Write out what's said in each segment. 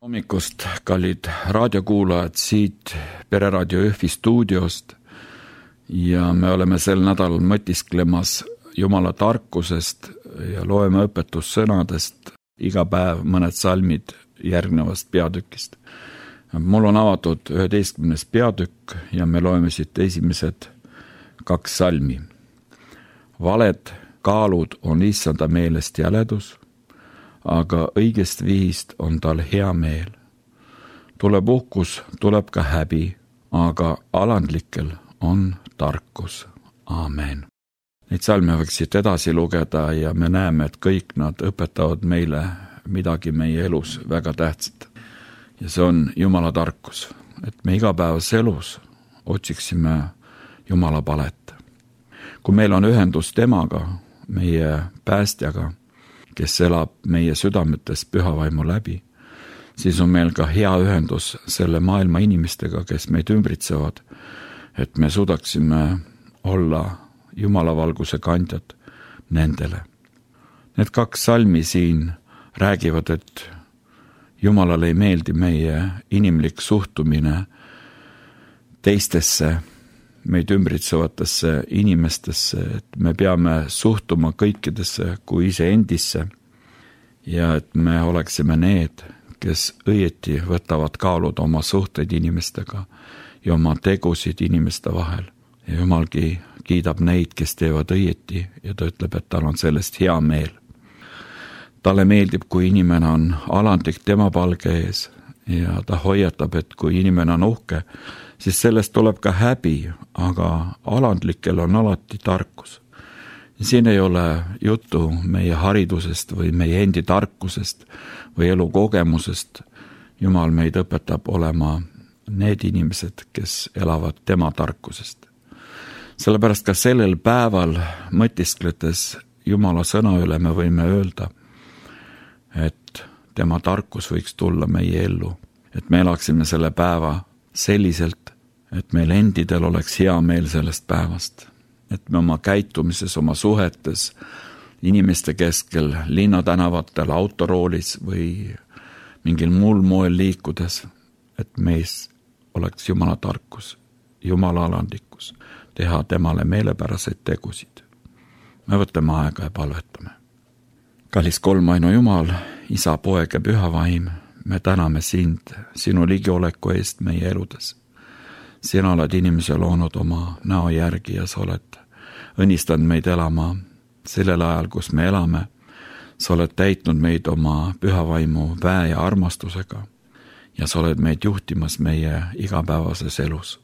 Hommikust, kallid raadiokuulajad siit Pereraadio Jõhvi stuudiost ja me oleme sel nädalal mõtisklemas Jumala tarkusest ja loeme õpetussõnadest iga päev mõned salmid järgnevast peatükist. Mul on avatud 11. peatükk ja me loeme siit esimesed 2 salmi. Valed kaalud on issanda meelest jäledus, aga õigest vihist on tal hea meel. Tuleb uhkus, tuleb ka häbi, aga alandlikel on tarkus. Aamen. Neid salme võiks siit edasi lugeda ja me näeme, et kõik nad õpetavad meile midagi meie elus väga tähtsat. Ja see on Jumala tarkus, et me igapäevas elus otsiksime Jumala palet. Kui meil on ühendus temaga, meie päästjaga, kes elab meie südametes pühavaimu läbi, siis on meil ka hea ühendus selle maailma inimestega, kes meid ümbritsevad, et me suudaksime olla Jumala valguse kandjad nendele. Need 2 salmi siin räägivad, et Jumalale ei meeldi meie inimlik suhtumine teistesse, meid ümbritsevatesse inimestesse, et me peame suhtuma kõikidesse kui iseendisse ja et me oleksime need, kes õieti võtavad kaaluda oma suhteid inimestega ja oma tegusid inimeste vahel. Ja Jumalgi kiidab neid, kes teevad õieti ja ta ütleb, et tal on sellest hea meel. Talle meeldib, kui inimene on alandlik tema palge ees ja ta hoiatab, et kui inimene on uhke, siis sellest tuleb ka häbi, aga alandlikel on alati tarkus. Siin ei ole juttu meie haridusest või meie endi tarkusest või elukogemusest. Jumal meid õpetab olema need inimesed, kes elavad tema tarkusest. Sellepärast ka sellel päeval mõtiskletes Jumala sõna üle me võime öelda, et tema tarkus võiks tulla meie ellu, et me elaksime selle päeva selliselt, et meil endidel oleks hea meel sellest päevast, et me oma käitumises, oma suhetes, inimeste keskel, linnatänavatel, autoroolis või mingil muul moel liikudes, et meis oleks Jumala tarkus, Jumala alandlikkus, teha temale meelepäraseid tegusid. Me võtame aega ja palvetame. Kallis kolmainu Jumal, Isa, Poeg ja Püha Vaim, me täname sind, sinu ligioleku eest meie eludes. Sina oled inimese loonud oma näo järgi ja sa oled õnnistanud meid elama sellel ajal, kus me elame. Sa oled täitnud meid oma pühavaimu väe ja armastusega ja sa oled meid juhtimas meie igapäevases elus.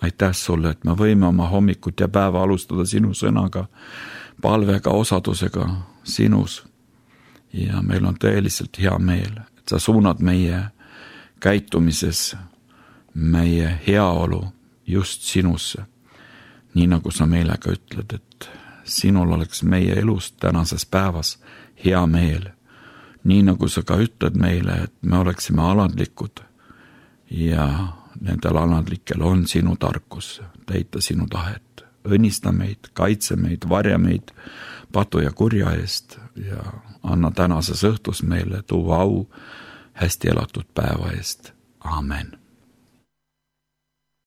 Aitäh sulle, et me võime oma hommikut ja päeva alustada sinu sõnaga, palvega, osadusega sinus ja meil on tõeliselt hea meel, et sa suunad meie käitumises meie heaolu just sinusse. Nii nagu sa meile ka ütled, et sinul oleks meie elus tänases päevas hea meel. Nii nagu sa ka ütled meile, et me oleksime alandlikud ja nendel alandlikel on sinu tarkus täita sinu tahet. Õnnista meid, kaitse meid, varja meid patu ja kurja eest ja anna tänases õhtus meile tuua au hästi elatud päeva eest. Aamen.